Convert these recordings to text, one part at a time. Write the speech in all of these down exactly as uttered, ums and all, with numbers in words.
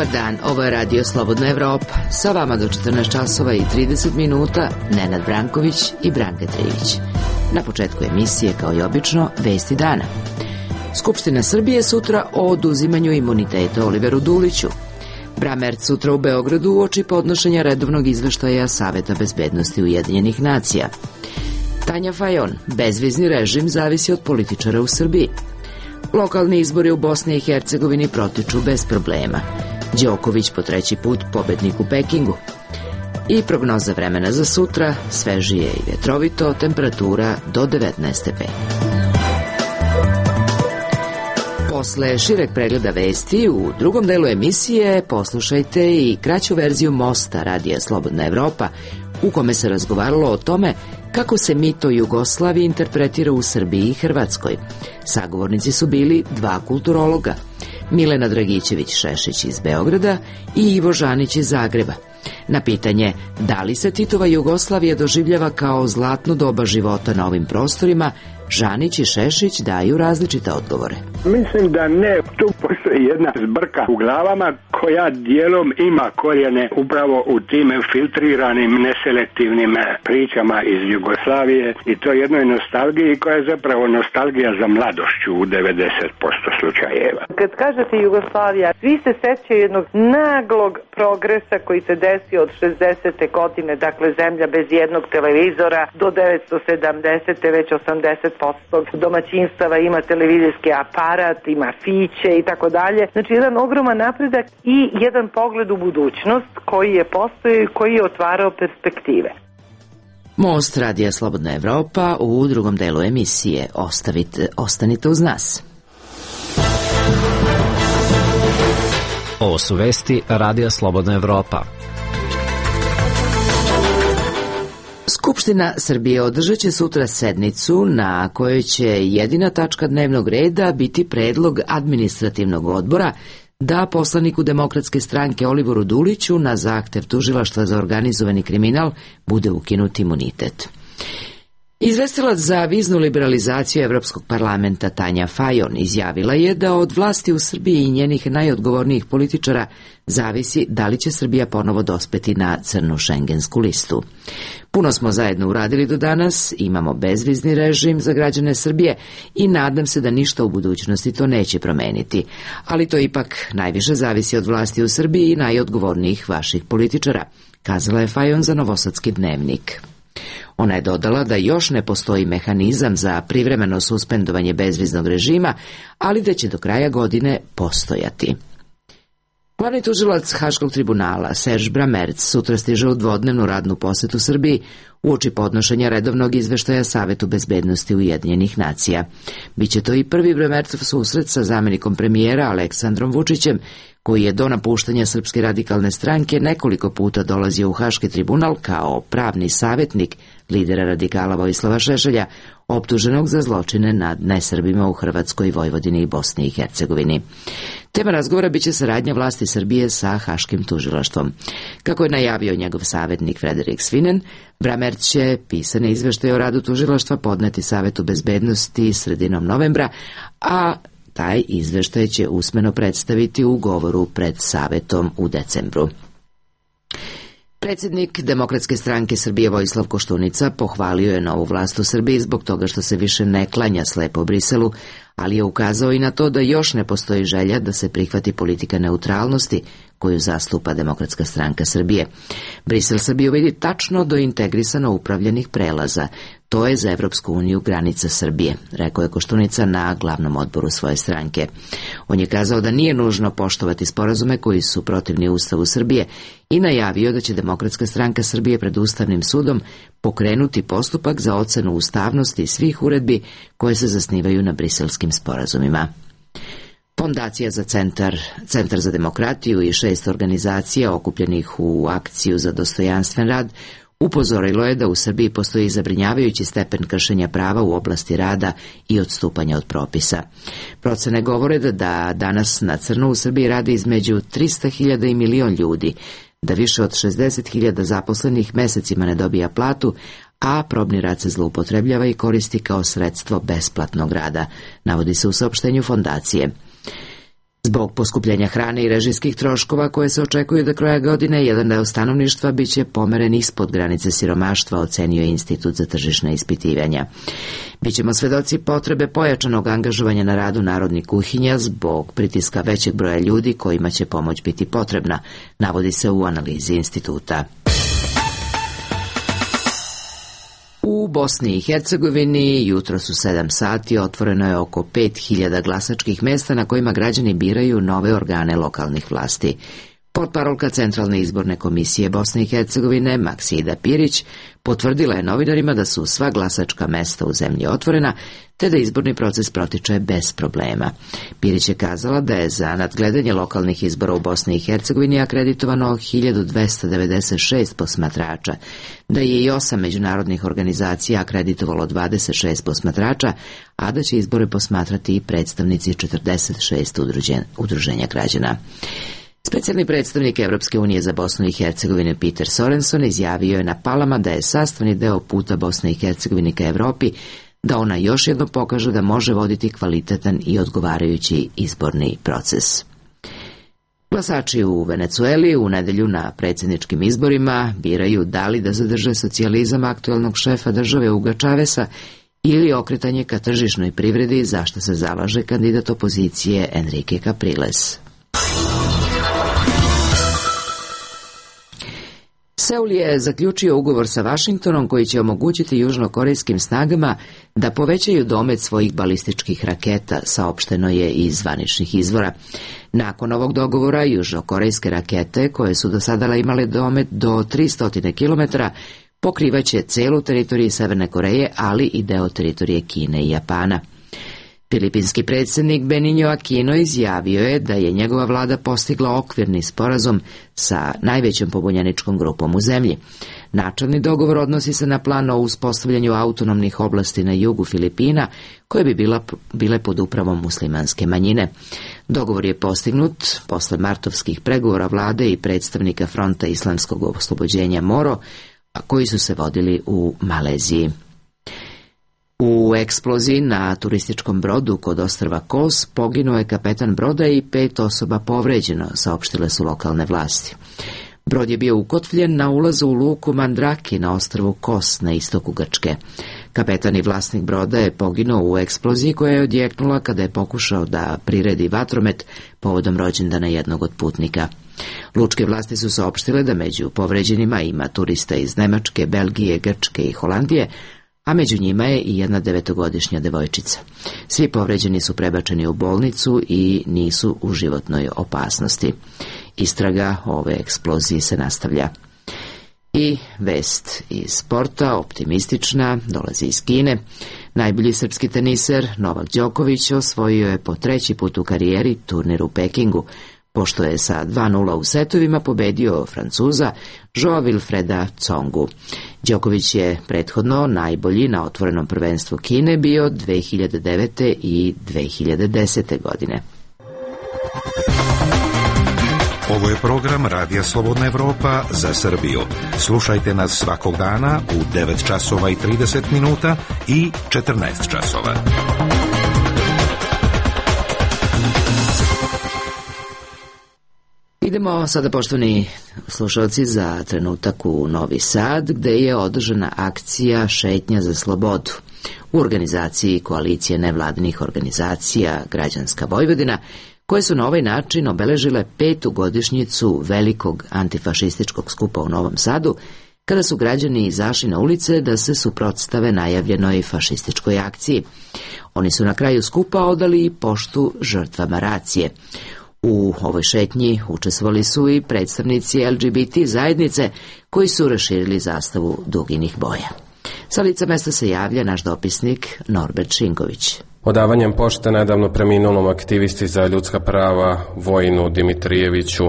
Dobar dan, ovo je Radio Slobodna Evropa. Sa vama do četrnaest časova i trideset minuta Nenad Branković i Branka Trivić. Na početku emisije, kao i obično, vesti dana. Skupština Srbije sutra o oduzimanju imuniteta Oliveru Duliću. Bramerc sutra u Beogradu uoči podnošenja redovnog izveštaja Saveta bezbednosti Ujedinjenih nacija. Tanja Fajon, bezvizni režim zavisi od političara u Srbiji. Lokalni izbori u Bosni i Hercegovini protiču bez problema. Đoković po treći put pobednik u Pekingu. I prognoza vremena za sutra, svežije i vjetrovito, temperatura do devetnaest stepeni. Posle šireg pregleda vesti, u drugom delu emisije poslušajte i kraću verziju Mosta Radija Slobodna Evropa, u kome se razgovaralo o tome kako se mito Jugoslavije interpretira u Srbiji i Hrvatskoj. Sagovornici su bili dva kulturologa, Milena Dragićević-Šešić iz Beograda i Ivo Žanić iz Zagreba. Na pitanje da li se Titova Jugoslavija doživljava kao zlatno doba života na ovim prostorima, Žanić i Šešić daju različite odgovore. Mislim da ne, tu postoji jedna zbrka u glavama koja dijelom ima korijene upravo u tim filtriranim, neselektivnim pričama iz Jugoslavije i to jednoj nostalgiji koja je zapravo nostalgija za mladošću u devedeset posto slučajeva. Kad kažete Jugoslavija, svi se sećaju jednog naglog progresa koji se desio od šezdesete godine, dakle zemlja bez jednog televizora, do devetsto sedamdesete već osamdeset posto domaćinstava ima televizijski aparat, ima fiće i tako dalje. Znači jedan ogroman napredak i jedan pogled u budućnost koji je postojao i koji je otvarao perspektive. Most Radija Slobodna Evropa u drugom delu emisije. Ostavite, ostanite uz nas. Ovo su vesti Radija Slobodna Evropa. Skupština Srbije održat će sutra sednicu na kojoj će jedina tačka dnevnog reda biti predlog administrativnog odbora da poslaniku Demokratske stranke Oliveru Duliću na zahtev Tužilaštva za organizovani kriminal bude ukinut imunitet. Izvestilac za viznu liberalizaciju Evropskog parlamenta Tanja Fajon izjavila je da od vlasti u Srbiji i njenih najodgovornijih političara zavisi da li će Srbija ponovo dospeti na crnu šengensku listu. Puno smo zajedno uradili do danas, imamo bezvizni režim za građane Srbije i nadam se da ništa u budućnosti to neće promeniti, ali to ipak najviše zavisi od vlasti u Srbiji i najodgovornijih vaših političara, kazala je Fajon za Novosadski dnevnik. Ona je dodala da još ne postoji mehanizam za privremeno suspendovanje bezviznog režima, ali da će do kraja godine postojati. Glavni tužilac Haškog tribunala Serž Bramerc sutra stiže u dvodnevnu radnu posetu Srbiji uoči podnošenja redovnog izveštaja Savetu bezbednosti Ujedinjenih nacija. Biće to i prvi Bramercov susret sa zamenikom premijera Aleksandrom Vučićem, koji je do napuštanja Srpske radikalne stranke nekoliko puta dolazio u Haški tribunal kao pravni savjetnik lidera radikala Vojislava Šešelja, optuženog za zločine nad nesrbima u Hrvatskoj, Vojvodini i Bosni i Hercegovini. Tema razgovora biće saradnja vlasti Srbije sa Haškim tužilaštvom. Kako je najavio njegov savjetnik Frederik Svinen, Bramerc će pisane izveštaje o radu tužilaštva podneti Savetu bezbednosti sredinom novembra, a taj izveštaj će usmeno predstaviti u govoru pred Savetom u decembru. Predsjednik Demokratske stranke Srbije Vojislav Koštunica pohvalio je novu vlast u Srbiji zbog toga što se više ne klanja slepo Briselu, ali je ukazao i na to da još ne postoji želja da se prihvati politika neutralnosti koju zastupa Demokratska stranka Srbije. Brisel Srbiju vidi tačno do integrisano upravljenih prelaza. To je za Evropsku uniju granica Srbije, rekao je Koštunica na glavnom odboru svoje stranke. On je kazao da nije nužno poštovati sporazume koji su protivni Ustavu Srbije i najavio da će Demokratska stranka Srbije pred Ustavnim sudom pokrenuti postupak za ocenu ustavnosti svih uredbi koje se zasnivaju na briselskim sporazumima. Fondacija za centar, Centar za demokratiju i šest organizacija okupljenih u akciju za dostojanstven rad upozorilo je da u Srbiji postoji zabrinjavajući stepen kršenja prava u oblasti rada i odstupanja od propisa. Procene govore da, da danas na crno u Srbiji radi između trista hiljada i milion ljudi, da više od šezdeset hiljada zaposlenih mesecima ne dobija platu, a probni rad se zloupotrebljava i koristi kao sredstvo besplatnog rada, navodi se u saopštenju fondacije. Zbog poskupljenja hrane i režijskih troškova koje se očekuju do kraja godine, jedan deo stanovništva biće pomeren ispod granice siromaštva, ocenio je Institut za tržišna ispitivanja. Bićemo svedoci potrebe pojačanog angažovanja na radu narodnih kuhinja zbog pritiska većeg broja ljudi kojima će pomoć biti potrebna, navodi se u analizi instituta. U Bosni i Hercegovini jutros u sedam sati otvoreno je oko pet hiljada glasačkih mesta na kojima građani biraju nove organe lokalnih vlasti. Portparolka Centralne izborne komisije Bosne i Hercegovine Maksida Pirić potvrdila je novinarima da su sva glasačka mesta u zemlji otvorena, te da izborni proces protiče bez problema. Pirić je kazala da je za nadgledanje lokalnih izbora u Bosni i Hercegovini akreditovano hiljadu dvesta devedeset šest posmatrača, da je i osam međunarodnih organizacija akreditovalo dvadeset šest posmatrača, a da će izbore posmatrati i predstavnici četrdeset šest udruženja građana. Specijalni predstavnik Evropske unije za Bosnu i Hercegovinu Peter Sorenson izjavio je na Palama da je sastavni deo puta Bosne i Hercegovine ka Evropi, da ona još jednom pokaže da može voditi kvalitetan i odgovarajući izborni proces. Glasači u Venecueli u nedelju na predsjedničkim izborima biraju da li da zadrže socijalizam aktuelnog šefa države Huga Chavesa ili okretanje ka tržišnoj privredi, za što se zalaže kandidat opozicije Enrique Capriles. Seul je zaključio ugovor sa Vašingtonom koji će omogućiti južnokorejskim snagama da povećaju domet svojih balističkih raketa, saopšteno je iz zvaničnih izvora. Nakon ovog dogovora, južnokorejske rakete, koje su do sada imale domet do tristo kilometara, pokrivaće celu teritoriju Severne Koreje, ali i deo teritorije Kine i Japana. Filipinski predsjednik Benigno Aquino izjavio je da je njegova vlada postigla okvirni sporazum sa najvećom pobunjeničkom grupom u zemlji. Načelni dogovor odnosi se na plan o uspostavljanju autonomnih oblasti na jugu Filipina, koje bi bila, bile pod upravom muslimanske manjine. Dogovor je postignut posle martovskih pregovora vlade i predstavnika Fronta islamskog oslobođenja Moro, a koji su se vodili u Maleziji. U eksploziji na turističkom brodu kod ostrva Kos poginuo je kapetan broda i pet osoba povređeno, saopštile su lokalne vlasti. Brod je bio ukotvljen na ulazu u luku Mandraki na ostrvu Kos na istoku Grčke. Kapetan i vlasnik broda je poginuo u eksploziji koja je odjeknula kada je pokušao da priredi vatromet povodom rođendana jednog od putnika. Lučke vlasti su saopštile da među povređenima ima turista iz Nemačke, Belgije, Grčke i Holandije, a među njima je i jedna devetogodišnja devojčica. Svi povređeni su prebačeni u bolnicu i nisu u životnoj opasnosti. Istraga ove eksplozije se nastavlja. I vest iz sporta, optimistična, dolazi iz Kine. Najbolji srpski teniser Novak Đoković osvojio je po treći put u karijeri turnir u Pekingu, pošto je sa dva nula u setovima pobedio Francuza Joa Wilfreda Tsongu. Đoković je prethodno najbolji na otvorenom prvenstvu Kine bio dve hiljade devete i dve hiljade desete godine. Ovo je program Radija Slobodna Evropa za Srbiju. Slušajte nas svakog dana u devet časova i trideset minuta i četrnaest časova. Idemo sada, poštovani slušalci, za trenutak u Novi Sad, gde je održana akcija Šetnja za slobodu. U organizaciji Koalicije nevladinih organizacija Građanska Vojvodina, koje su na ovaj način obeležile petu godišnjicu velikog antifašističkog skupa u Novom Sadu, kada su građani izašli na ulice da se suprotstave najavljenoj fašističkoj akciji. Oni su na kraju skupa odali i poštu žrtvama racije. U ovoj šetnji učestvovali su i predstavnici L G B T zajednice koji su raširili zastavu duginih boja. Sa lica mesta se javlja naš dopisnik Norbert Šinković. Odavanjem pošte nedavno preminulom aktivisti za ljudska prava Vojinu Dimitrijeviću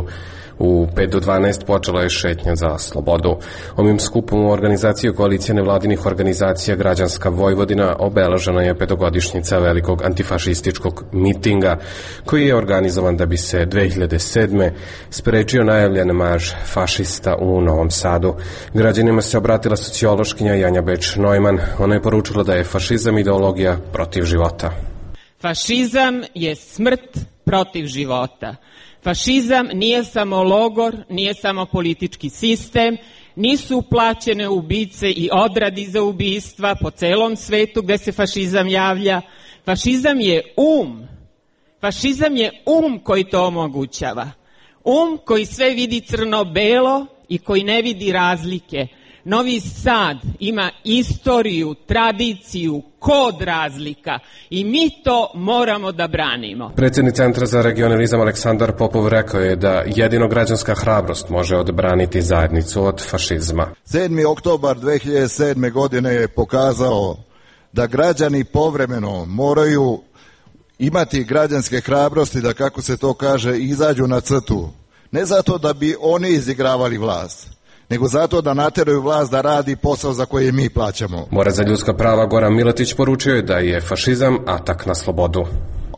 u pet do dvanaest počela je šetnja za slobodu. Ovim skupom u organizaciju Koalicije nevladinih organizacija Građanska Vojvodina obeležena je petogodišnjica velikog antifašističkog mitinga koji je organizovan da bi se dve hiljade sedme sprečio najavljen marš fašista u Novom Sadu. Građanima se obratila sociološkinja Janja Beč-Neumann. Ona je poručila da je fašizam ideologija protiv života. Fašizam je smrt protiv života. Fašizam nije samo logor, nije samo politički sistem, nisu plaćene ubice i odradi za ubistva po celom svetu gde se fašizam javlja. Fašizam je um. Fašizam je um koji to omogućava. Um koji sve vidi crno-belo i koji ne vidi razlike. Novi Sad ima istoriju, tradiciju, kod razlika i mi to moramo da branimo. Predsjednik Centra za regionalizam Aleksandar Popov rekao je da jedino građanska hrabrost može odbraniti zajednicu od fašizma. sedmi oktobar dve hiljade sedme. godine je pokazao da građani povremeno moraju imati građanske hrabrosti da, kako se to kaže, izađu na crtu. Ne zato da bi oni izigravali vlast, nego zato da nateraju vlast da radi posao za koji mi plaćamo. Borac za ljudska prava Goran Miletić poručio je da je fašizam atak na slobodu.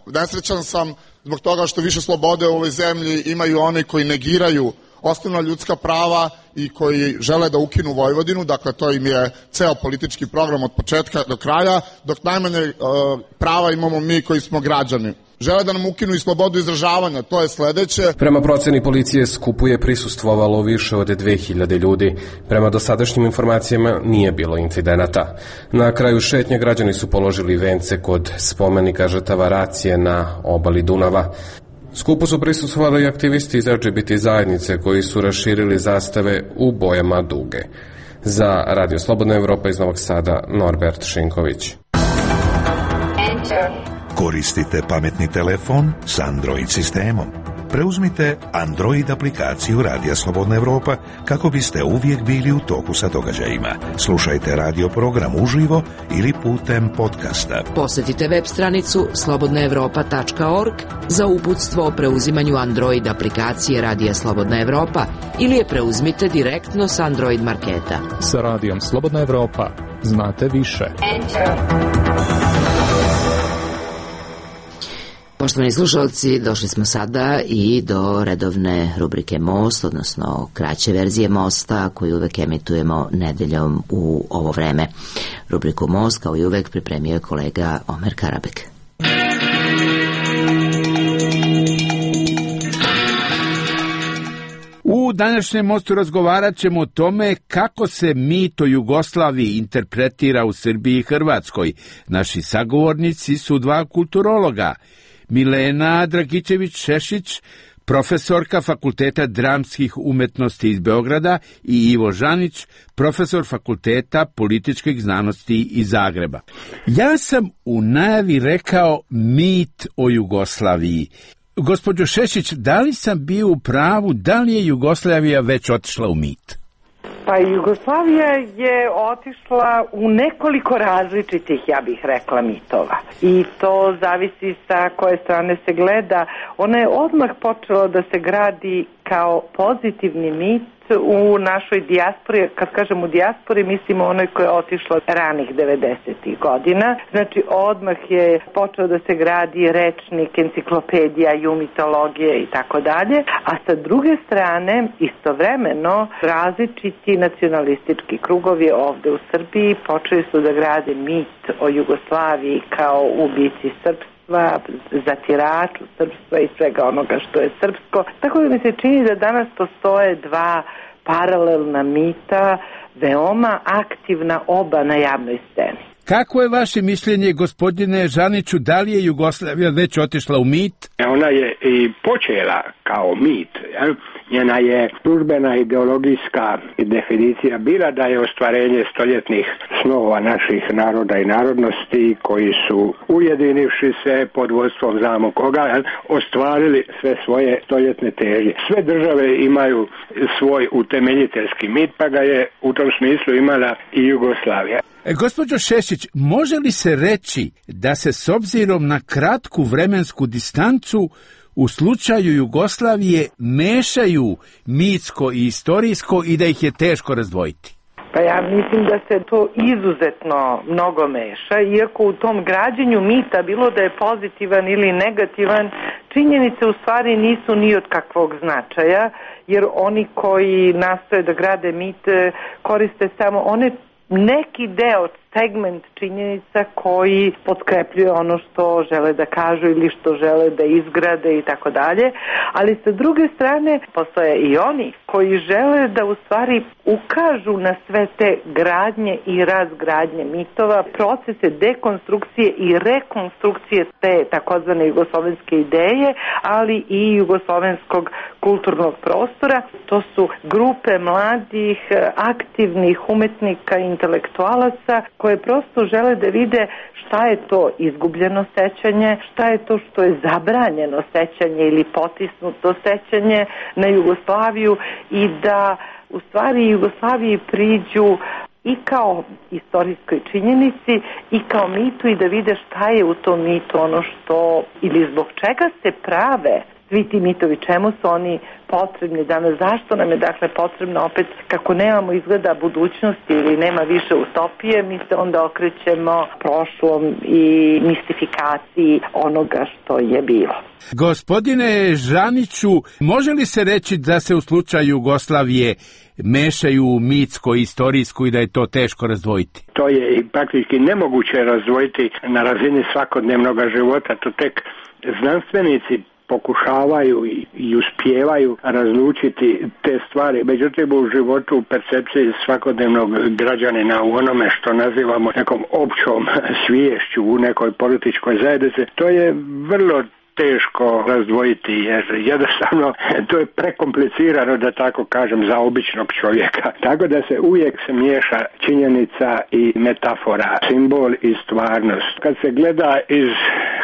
Nesrećan sam zbog toga što više slobode u ovoj zemlji imaju oni koji negiraju osnovna ljudska prava i koji žele da ukinu Vojvodinu, dakle to im je ceo politički program od početka do kraja, dok najmanje uh, prava imamo mi koji smo građani. Žele da nam ukinu i slobodu izražavanja, to je sledeće. Prema proceni policije skupu je prisustvovalo više od dve hiljade ljudi. Prema dosadašnjim informacijama nije bilo incidenata. Na kraju šetnje građani su položili vence kod spomenika žrtava racije na obali Dunava. Skupu su prisustvovali aktivisti iz L G B T zajednice koji su raširili zastave u bojama duge. Za Radio Slobodna Evropa iz Novog Sada, Norbert Šinković. Koristite pametni telefon s Android sistemom. Preuzmite Android aplikaciju Radija Slobodna Evropa kako biste uvijek bili u toku sa događajima. Slušajte radio program uživo ili putem podcasta. Posjetite web stranicu slobodna evropa tačka org za uputstvo o preuzimanju Android aplikacije Radija Slobodna Evropa ili je preuzmite direktno s Android marketa. Sa Radijom Slobodna Evropa znate više. Poštovani slušalci, došli smo sada i do redovne rubrike Most, odnosno kraće verzije Mosta koju uvek emitujemo nedeljom u ovo vreme. Rubriku Most, kao i uvek, pripremio je kolega Omer Karabek. U današnjem Mostu razgovarat ćemo o tome kako se mit o Jugoslaviji interpretira u Srbiji i Hrvatskoj. Naši sagovornici su dva kulturologa, Milena Dragičević-Šešić, profesorka Fakulteta dramskih umetnosti iz Beograda, i Ivo Žanić, profesor Fakulteta političkih znanosti iz Zagreba. Ja sam u najavi rekao mit o Jugoslaviji. Gospođo Šešić, da li sam bio u pravu, da li je Jugoslavija već otišla u mit? Pa Jugoslavija je otišla u nekoliko različitih, ja bih rekla, mitova. I to zavisi sa koje strane se gleda. Ona je odmah počela da se gradi kao pozitivni mit u našoj dijaspori. Kad kažem u dijaspori, mislimo onoj koja je otišla ranih devedesetih godina. Znači, odmah je počeo da se gradi rečnik, enciklopedija, ju mitologije i tako dalje. A sa druge strane, istovremeno, različiti nacionalistički krugovi ovde u Srbiji počeli su da grade mit o Jugoslaviji kao ubici srpstva, zatiraču srpstva i svega onoga što je srpsko. Tako da mi se čini da danas postoje dva paralelna mita, veoma aktivna oba na javnoj sceni. Kako je vaše mišljenje, gospodine Žaniću, da li je Jugoslavija već otišla u mit? Ona je i počela kao mit. Jel? Njena je službena ideologijska definicija bila da je ostvarenje stoljetnih snova naših naroda i narodnosti koji su ujedinivši se pod vodstvom znamo koga, jel, ostvarili sve svoje stoljetne težnje. Sve države imaju svoj utemeljiteljski mit, pa ga je u tom smislu imala i Jugoslavija. E, gospođo Šešić, može li se reći da se s obzirom na kratku vremensku distancu u slučaju Jugoslavije mešaju mitsko i istorijsko i da ih je teško razdvojiti? Pa ja mislim da se to izuzetno mnogo meša, iako u tom građenju mita, bilo da je pozitivan ili negativan, činjenice u stvari nisu ni od kakvog značaja, jer oni koji nastoje da grade mit koriste samo one neki deo segment činjenica koji potkrepljuje ono što žele da kažu ili što žele da izgrade i tako dalje, ali sa druge strane postoje i oni koji žele da u stvari ukažu na sve te gradnje i razgradnje mitova, procese dekonstrukcije i rekonstrukcije te takozvane jugoslovenske ideje, ali i jugoslovenskog kulturnog prostora. To su grupe mladih, aktivnih umetnika i intelektualaca koje prosto žele da vide šta je to izgubljeno sećanje, šta je to što je zabranjeno sećanje ili potisnuto sećanje na Jugoslaviju i da u stvari Jugoslaviji priđu i kao istorijskoj činjenici i kao mitu i da vide šta je u tom mitu ono što ili zbog čega se prave svi ti mitovi, čemu su oni potrebni danas, zašto nam je dakle potrebno opet, kako nemamo izgleda budućnosti ili nema više utopije, mi se onda okrećemo prošlom i mistifikaciji onoga što je bilo. Gospodine Žaniću, može li se reći da se u slučaju Jugoslavije mešaju mitsko-istorijsku i da je to teško razdvojiti? To je i praktički nemoguće razdvojiti na razini svakodnevnog života, to tek znanstvenici pokušavaju i, i uspijevaju razlučiti te stvari. Međutim, u životu, u percepciji svakodnevnog građanina, u onome što nazivamo nekom općom sviješću u nekoj političkoj zajednici, to je vrlo teško razdvojiti, jer jednostavno to je prekomplicirano, da tako kažem, za običnog čovjeka. Tako da se uvijek se miješa činjenica i metafora, simbol i stvarnost. Kad se gleda iz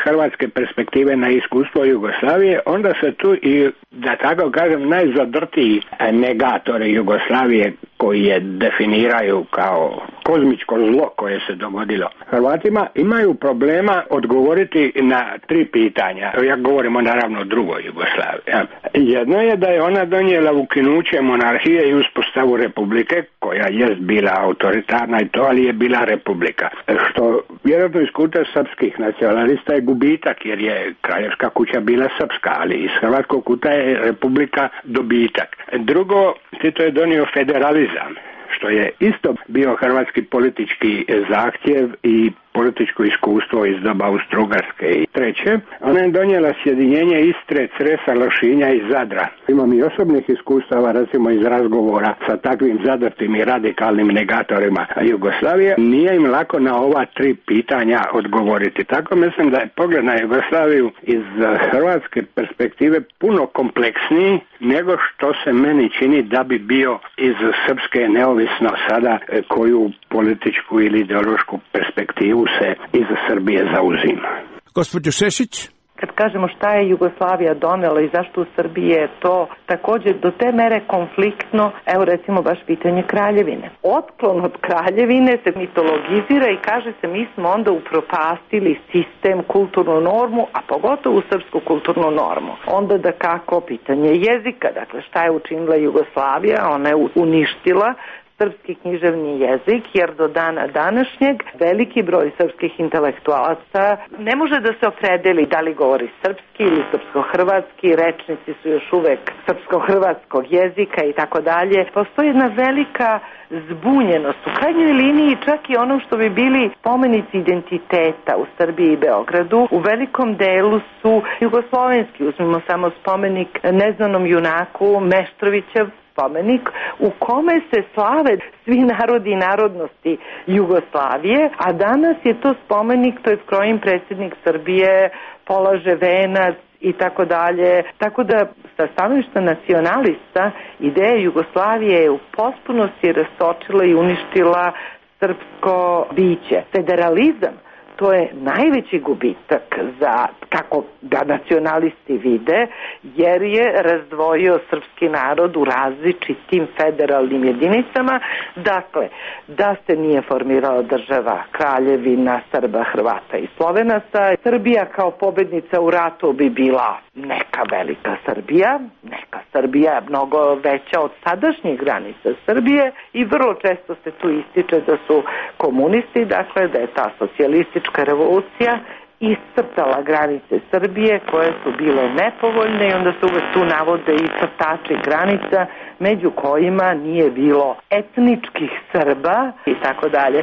hrvatske perspektive na iskustvo Jugoslavije, onda se tu i, da tako kažem, najzadrtiji negatori Jugoslavije koji je definiraju kao kozmičko zlo koje se dogodilo Hrvatima, imaju problema odgovoriti na tri pitanja. Ja govorimo naravno o drugoj Jugoslaviji. Jedno je da je ona donijela ukinuće monarhije i uspostavu republike, koja jest bila autoritarna i to, ali je bila republika. Što vjerojatno iz kuta srpskih nacionalista je gubitak, jer je kraljevska kuća bila srpska, ali iz hrvatskog kuta je republika dobitak. Drugo, Tito je donio federalizam, što je isto bio hrvatski politički zahtjev i političko iskustvo iz doba Austro-Ugarske. I treće, ona je donijela sjedinjenje Istre, Cresa, Lošinja i Zadra. Imam i osobnih iskustava, recimo iz razgovora sa takvim zadrtim i radikalnim negatorima Jugoslavije. Nije im lako na ova tri pitanja odgovoriti. Tako mislim da je pogled na Jugoslaviju iz hrvatske perspektive puno kompleksniji nego što se meni čini da bi bio iz srpske, neovisno sada koju političku ili ideološku perspektivu se iz Srbije zauzima. Gospođo Šešić? Kad kažemo šta je Jugoslavija donela i zašto u Srbiji je to također do te mere konfliktno, evo recimo baš pitanje kraljevine. Otklon od kraljevine se mitologizira i kaže se mi smo onda upropastili sistem, kulturnu normu, a pogotovo srpsku kulturnu normu. Onda da kako pitanje jezika, dakle šta je učinila Jugoslavija, ona je uništila srpski književni jezik, jer do dana današnjeg veliki broj srpskih intelektualaca ne može da se opredeli da li govori srpski ili srpsko-hrvatski, rečnici su još uvek srpsko-hrvatskog jezika i tako dalje. Postoji jedna velika zbunjenost, u krajnjoj liniji čak i ono što bi bili spomenici identiteta u Srbiji i Beogradu, u velikom delu su jugoslovenski. Uzmimo samo spomenik neznanom junaku Meštrovićev spomenik u kome se slave svi narodi i narodnosti Jugoslavije, a danas je to spomenik, to je skrojim predsjednik Srbije, polaže venac i tako dalje. Tako da sa stanovišta nacionalista ideja Jugoslavije je u potpunosti rastočila i uništila srpsko biće. Federalizam, to je najveći gubitak za, kako ga nacionalisti vide, jer je razdvojio srpski narod u različitim federalnim jedinicama. Dakle, da se nije formirala država Kraljevina Srba, Hrvata i Slovenaca, Srbija kao pobednica u ratu bi bila neka velika Srbija, neka Srbija mnogo veća od sadašnjih granica Srbije i vrlo često se tu ističe da su komunisti, dakle da je ta socijalistička revolucija iscrtala granice Srbije koje su bile nepovoljne i onda se uvek tu navode i crtači granica među kojima nije bilo etničkih Srba i tako dalje.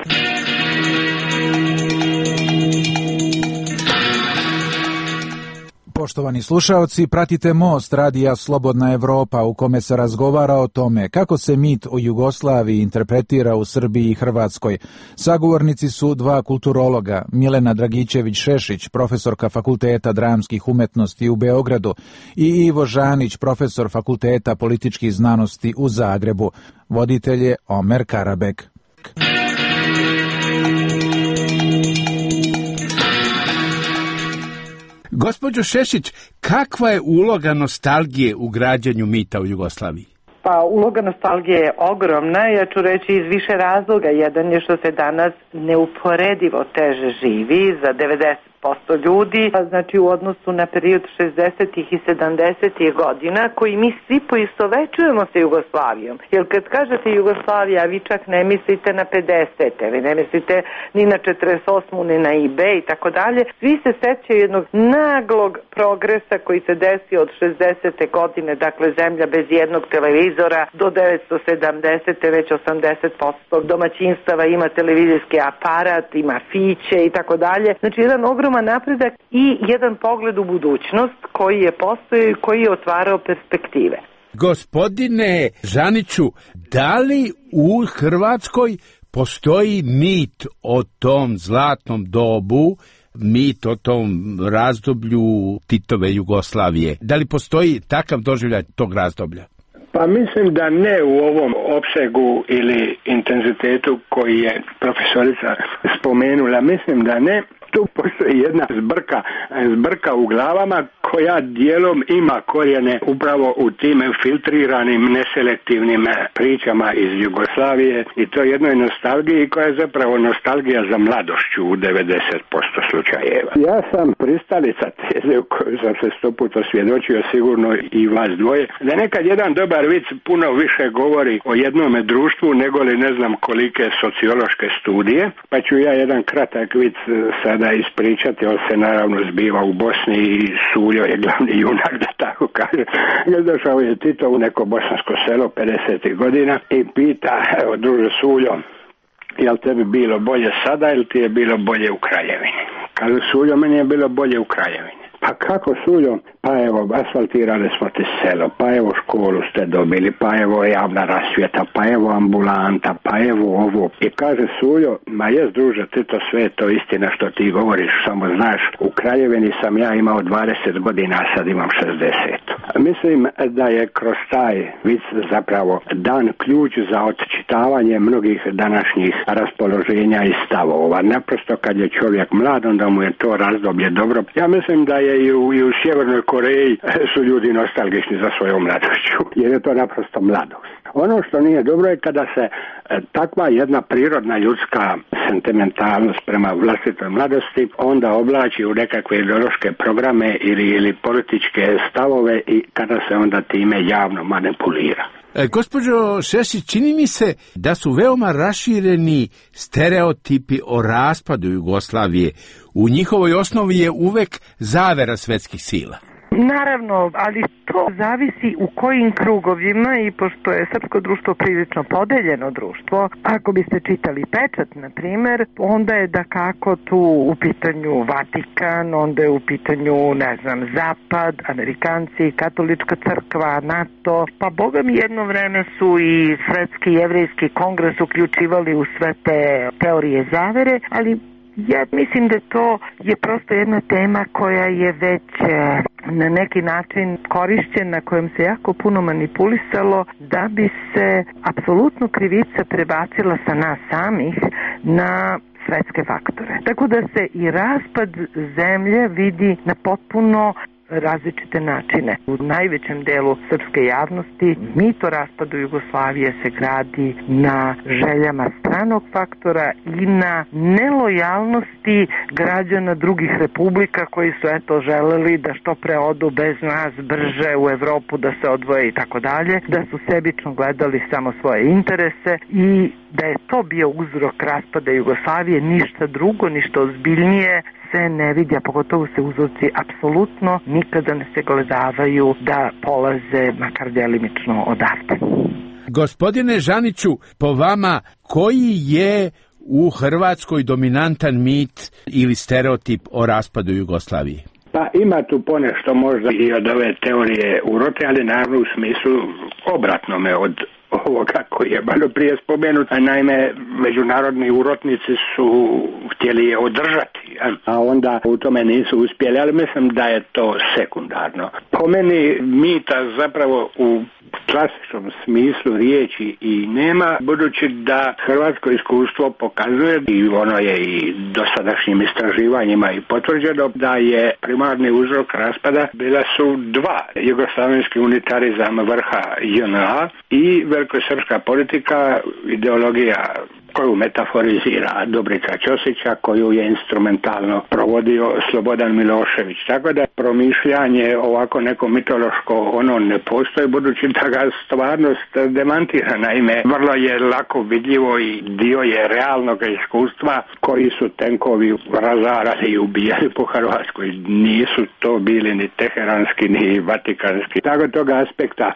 Poštovani slušaoci, pratite Most radija Slobodna Evropa u kome se razgovara o tome kako se mit o Jugoslaviji interpretira u Srbiji i Hrvatskoj. Sagovornici su dva kulturologa, Milena Dragićević-Šešić, profesorka Fakulteta dramskih umetnosti u Beogradu i Ivo Žanić, profesor Fakulteta političkih znanosti u Zagrebu. Voditelj je Omer Karabek. Gospođo Šešić, kakva je uloga nostalgije u građanju mita u Jugoslaviji? Pa uloga nostalgije je ogromna, ja ću reći iz više razloga. Jedan je što se danas neuporedivo teže živi za devedeset posto ljudi, znači u odnosu na period šezdesetih i sedamdesetih godina, koji mi svi poistovećujemo sa Jugoslavijom. Jer kad kažete Jugoslavija, vi čak ne mislite na pedesete, vi ne mislite ni na četrdeset osmu, ni na I B i tako dalje. Svi se sećaju jednog naglog progresa koji se desio od šezdesete godine, dakle zemlja bez jednog televizora, do devetsto sedamdesete već osamdeset posto domaćinstava ima televizijski aparat, ima fiće i tako dalje. Znači jedan ogrom napredak i jedan pogled u budućnost koji je postojao i koji je otvarao perspektive. Gospodine Žaniću, da li u Hrvatskoj postoji mit o tom zlatnom dobu, mit o tom razdoblju Titove Jugoslavije? Da li postoji takav doživljaj tog razdoblja? Pa mislim da ne u ovom opsegu ili intenzitetu koji je profesorica spomenula. Mislim da ne. Tu postoji jedna zbrka, zbrka u glavama koja dijelom ima korijene upravo u tim filtriranim, neselektivnim pričama iz Jugoslavije i to jednoj nostalgiji koja je zapravo nostalgija za mladošću u devedeset posto slučajeva. Ja sam pristalica teze u kojoj sam se sto puta svjedočio, sigurno i vas dvoje, da nekad jedan dobar vic puno više govori o jednome društvu nego li ne znam kolike sociološke studije, pa ću ja jedan kratak vic sada ispričati, on se naravno zbiva u Bosni i Suljo je glavni junak, da tako kaže. Došao je Tito u neko bosansko selo pedesetih godina i pita, evo druže Suljo, jel tebi bilo bolje sada ili ti je bilo bolje u Kraljevini? Kaže Suljo, meni je bilo bolje u Kraljevini. Pa kako Suljo? Pa evo, asfaltirali smo ti selo, pa evo školu ste dobili, pa evo javna rasvjeta, pa evo ambulanta, pa evo ovo. I kaže Suljo, ma jes druže, ti to sve to istina što ti govoriš, samo znaš, u Kraljevini sam ja imao dvadeset godina, a sad imam šezdeset. Mislim da je kroz taj vic zapravo dan ključ za odčitavanje mnogih današnjih raspoloženja i stavova. Naprosto kad je čovjek mlad, onda mu je to razdoblje dobro. Ja mislim da je i u, i u Sjevernoj Koreji su ljudi nostalgični za svojom mladošću, jer je to naprosto mladost. Ono što nije dobro je kada se e, takva jedna prirodna ljudska sentimentalnost prema vlastitoj mladosti onda oblači u nekakve ideološke programe ili, ili političke stavove i kada se onda time javno manipulira. E, gospođo Šešić, čini mi se da su veoma rašireni stereotipi o raspadu Jugoslavije. U njihovoj osnovi je uvek zavera svetskih sila. Naravno, ali to zavisi u kojim krugovima i pošto je srpsko društvo prilično podeljeno društvo, ako biste čitali Pečat, na primjer, onda je da kako tu u pitanju Vatikan, onda je u pitanju, ne znam, Zapad, Amerikanci, Katolička crkva, NATO, pa boga mi jedno vreme su i Svetski jevrejski kongres uključivali u sve te teorije zavere, ali ja mislim da to je prosto jedna tema koja je već na neki način korišćena, kojom se jako puno manipulisalo da bi se apsolutno krivica prebacila sa nas samih na svetske faktore. Tako da se i raspad zemlje vidi na potpuno različite načine. U najvećem delu srpske javnosti mit o raspadu Jugoslavije se gradi na željama stranog faktora i na nelojalnosti građana drugih republika koji su eto želeli da što pre odu bez nas brže u Evropu, da se odvoje i tako dalje, da su sebično gledali samo svoje interese i da je to bio uzrok raspada Jugoslavije, ništa drugo, ništa ozbiljnije se ne vidi, a pogotovo se uzroci apsolutno nikada ne se gledavaju da polaze makar delimično odavde. Gospodine Žaniću, po vama, koji je u Hrvatskoj dominantan mit ili stereotip o raspadu Jugoslavije? Pa ima tu ponešto možda i od ove teorije urote, ali naravno u smislu obratnome od ovoga koji je malo prije spomenut. Naime, međunarodni urotnici su htjeli je održati, a onda u tome nisu uspjeli, ali mislim da je to sekundarno. Po meni mita zapravo u klasičnom smislu riječi i nema, budući da hrvatsko iskustvo pokazuje, i ono je i dosadašnjim istraživanjima i potvrđeno, da je primarni uzrok raspada bila su dva: jugoslavenski unitarizam vrha J N A i velikosrpska politika, ideologija koju metaforizira Dobrica Ćosića, koju je instrumentalno provodio Slobodan Milošević. Tako da promišljanje ovako neko mitološko ono ne postoji, budući da ga stvarnost demantira. Naime, vrlo je lako vidljivo i dio je realnog iskustva koji su tenkovi razarali i ubijali po Hrvatskoj. Nisu to bili ni teheranski ni vatikanski. Tako toga aspekta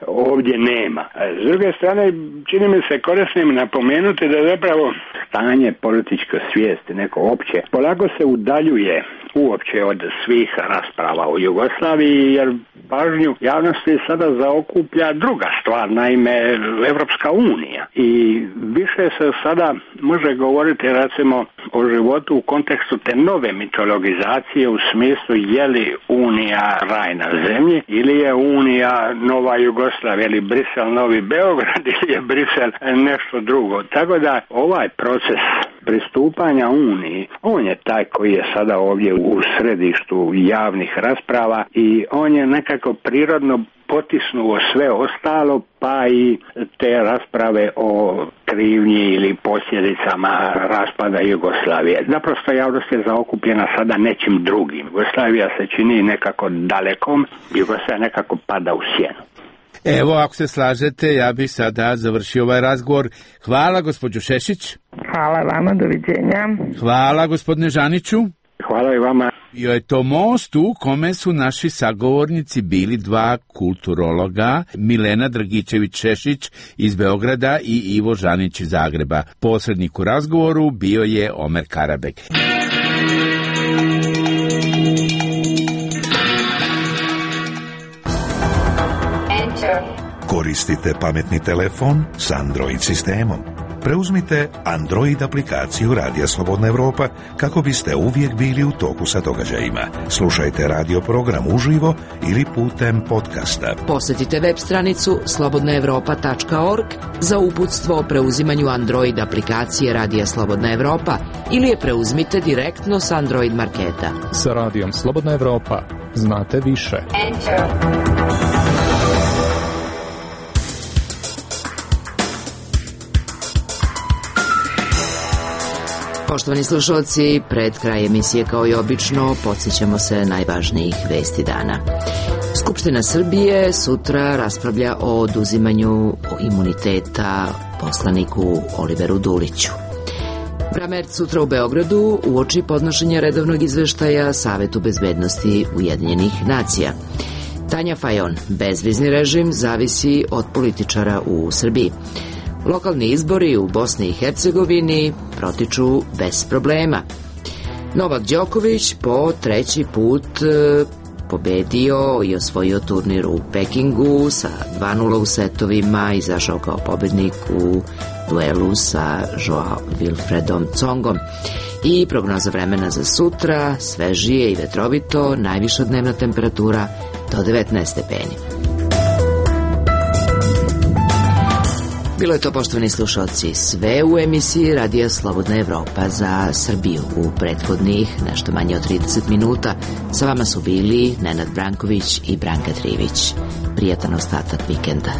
ovdje nema. S druge strane, čini mi se korisnim napomenuti da zapravo stanje političke svijesti, neko opće, polako se udaljuje uopće od svih rasprava u Jugoslaviji, jer pažnju javnosti sada zaokuplja druga stvar, naime Evropska unija. I više se sada može govoriti recimo o životu u kontekstu te nove mitologizacije, u smislu je li Unija raj na zemlji ili je Unija nova Jugoslavija, ili Brisel novi Beograd, ili je Brisel nešto drugo. Tako da ovaj proces pristupanja Uniji, on je taj koji je sada ovdje u središtu javnih rasprava i on je nekako prirodno potisnuo sve ostalo, pa i te rasprave o krivnji ili posljedicama raspada Jugoslavije. Naprosto javnost je zaokupljena sada nečim drugim. Jugoslavija se čini nekako dalekom, Jugoslavija nekako pada u sjenu. Evo, ako se slažete, ja bih sada završio ovaj razgovor. Hvala, gospođo Šešić. Hvala vama, doviđenja. Hvala, gospodine Žaniću. Hvala i vama. Bio je to most u kome su naši sagovornici bili dva kulturologa, Milena Dragičević-Šešić iz Beograda i Ivo Žanić iz Zagreba. Posrednik u razgovoru bio je Omer Karabek. Koristite pametni telefon s Android sistemom. Preuzmite Android aplikaciju Radija Slobodna Evropa kako biste uvijek bili u toku sa događajima. Slušajte radio program uživo ili putem podcasta. Posjetite web stranicu slobodna evropa tačka org za uputstvo o preuzimanju Android aplikacije Radija Slobodna Evropa ili je preuzmite direktno s Android marketa. Sa Radijom Slobodna Evropa znate više. Enter. Poštovani slušalci, pred kraj emisije kao i obično podsjećamo se najvažnijih vesti dana. Skupština Srbije sutra raspravlja o oduzimanju imuniteta poslaniku Oliveru Duliću. Bramert sutra u Beogradu uoči podnošenja redovnog izveštaja Savetu bezbednosti Ujedinjenih nacija. Tanja Fajon, bezvizni režim zavisi od političara u Srbiji. Lokalni izbori u Bosni i Hercegovini protiču bez problema. Novak Đoković po treći put pobedio i osvojio turnir u Pekingu sa dva nula u setovima, izašao kao pobednik u duelu sa Joao Wilfredom Tsongom. I prognoza vremena za sutra, svežije i vetrovito, najviša dnevna temperatura do devetnaest stepeni. Bilo je to, poštovani slušalci, sve u emisiji Radija Slobodna Evropa za Srbiju. U prethodnih nešto manje od trideset minuta sa vama su bili Nenad Branković i Branka Trivić. Prijatan ostatak vikenda.